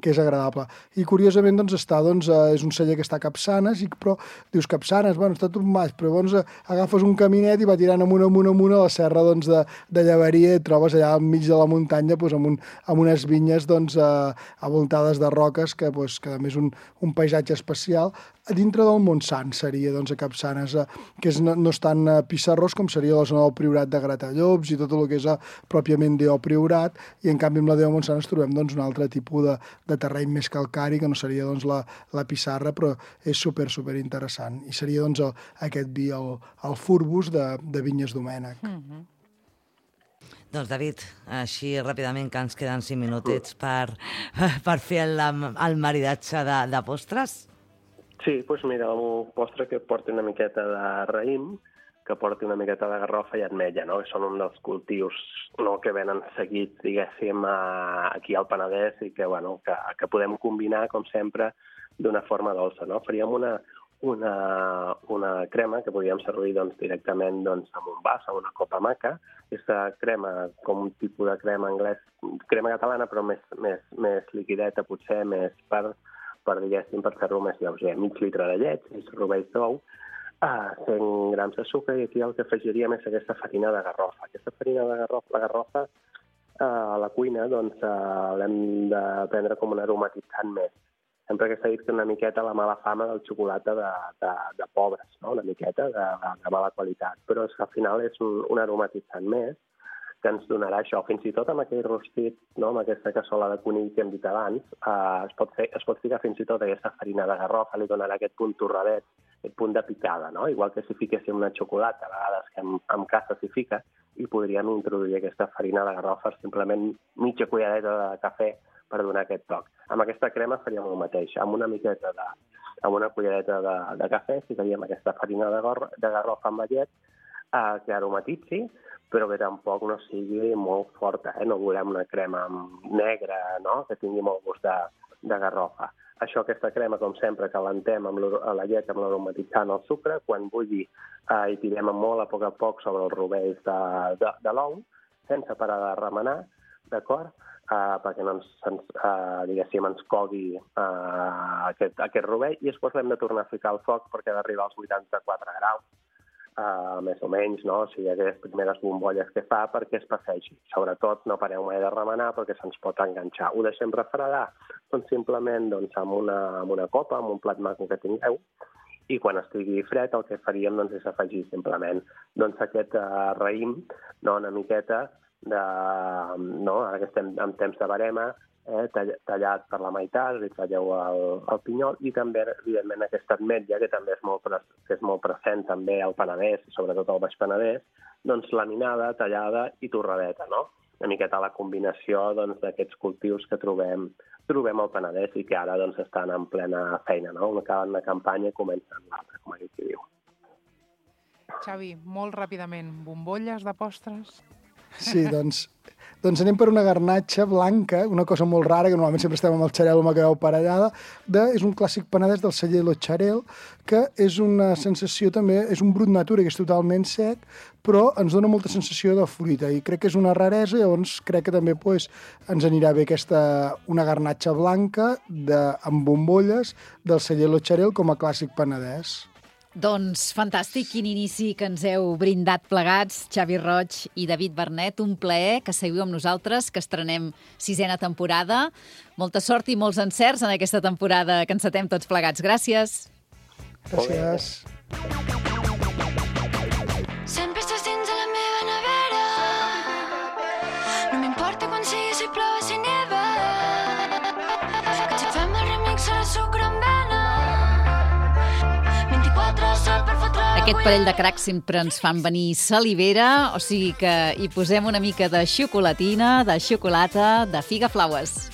que és agradable. I curiosament és un celler que està a Capçanes, però dius Capçanes, està tot baix, però llavors agafes un caminet i va tirant amunt a la serra de Llaveria, i trobes allà al mig de la muntanya amb unes vinyes avoltades de roques, que a més un paisatge especial. A dintre del Montsant seria a Capçanes, que no és tan pissarrós com seria la zona del Priorat de Gratallops i tot el que és pròpiament Déu Priorat, i en canvi amb la Déu Montsant ens trobem un altre tipus de terreny més calcari, que no seria la pissarra, però és super interessant. I seria aquest vi, el Furbus de Vinyes Domènech. Doncs, David, així ràpidament, que ens queden 5 minutets per fer el maridatge de postres. Sí, doncs mira, un postre que porti una miqueta de raïm, que porti una miqueta de garrofa i ametlla, no? Que són un dels cultius que venen seguits, diguéssim, aquí al Penedès, i que podem combinar, com sempre, d'una forma dolça, no? Faríem una crema que podríem servir directament en un vas, en una copa maca. Aquesta crema, com un tipus de crema anglès, crema catalana, però més liquideta, potser més per fer-lo més lleuger. Mig litre de llet, 6 rovells d'ou, 100 grams de sucre, i aquí el que afegiríem és aquesta farina de garrofa. Aquesta farina de garrofa, la garrofa, a la cuina, l'hem de prendre com un aromatitzant més. Sempre que s'ha dit que una miqueta la mala fama del xocolata de pobres, no? Una miqueta de mala qualitat, però és que al final és un aromatitzant més que ens donarà això. Fins i tot amb aquell rostit, no? Amb aquesta cassola de conill que hem dit abans, es pot ficar fins i tot aquesta farina de garrofa, li donarà aquest punt torradet, aquest punt de picada, no? Igual que si fiquéssim una xocolata, a vegades que en casa s'hi fica, i podríem introduir aquesta farina de garrofa, simplement mitja cullereta de cafè, per donar aquest toc. Amb aquesta crema faríem el mateix. Amb una cullereta de cafè ficaríem aquesta farina de garrofa amb la llet, que aromatitzi, però que tampoc no sigui molt forta. No volem una crema negra, no? Que tingui molt gust de garrofa. Aquesta crema, com sempre, calentem amb la llet, amb l'aromatitzant, el sucre. Quan bulli, hi tirem molt a poc sobre els rovells de l'ou, sense parar de remenar, d'acord? Perquè no ens cogui aquest rovell, i després l'hem de tornar a ficar al foc perquè ha d'arribar als 84 graus, més o menys, no? O sigui, aquelles primeres bombolles que fa perquè es passegi. Sobretot no pareu mai de remenar perquè se'ns pot enganxar. Ho deixem refredar? Doncs simplement amb una copa, amb un plat maco que tingueu, i quan estigui fred el que faríem és afegir simplement aquest raïm, una miqueta ara que estem en temps de barema, tallat per la meitat, li talleu el pinyol, i també, evidentment, aquesta ametlla, que també és molt present també al Penedès, sobretot al Baix Penedès, laminada, tallada i torradeta, no? Una miqueta la combinació d'aquests cultius que trobem al Penedès i que ara estan en plena feina, no? Acaben una campanya i comencen l'altra, com aquí diu. Xavi, molt ràpidament, bombolles de postres? Sí, doncs Doncs anem per una garnatxa blanca, una cosa molt rara, que normalment sempre estem amb el xarel o amb la caveu parellada, és un clàssic penedès del celler Lo Xarel, que és una sensació també, és un brut natura, que és totalment sec, però ens dona molta sensació de fruita, i crec que és una raresa, llavors crec que també ens anirà bé una garnatxa blanca amb bombolles del celler Lo Xarel com a clàssic penedès. Doncs fantàstic, quin inici que ens heu brindat plegats, Xavi Roig i David Bernet. Un plaer que seguiu amb nosaltres, que estrenem 6a temporada. Molta sort i molts encerts en aquesta temporada que encetem tots plegats. Gràcies. Gràcies. Sempre estàs dins de la meva nevera. No m'importa quan sigui, si plou, si neva. Que si fem el remix a la sucre amb vena. Aquest parell de cracs sempre ens fan venir salivera, o sigui que hi posem una mica de xocolatina, de xocolata, de figa flaues.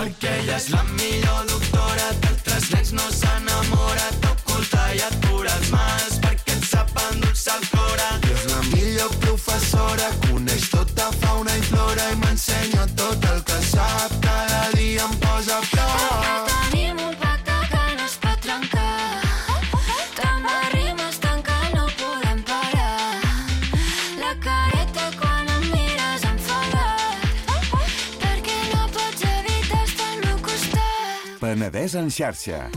Perquè ella és la millor doctora, d'altres nens no s'enamora, t'oculta i et cura els mals, perquè et sap endolçar el cora. I és la millor professora, coneix tota fauna i flora i m'ensenya tot el que sap, cada dia em posa a prop. Tenim un pacte que no es pot trencar, tant de rimes tant que no podem parar. La careta quan em mires enfadat, perquè no pots evitar estar al meu costat. Penedès en xarxa.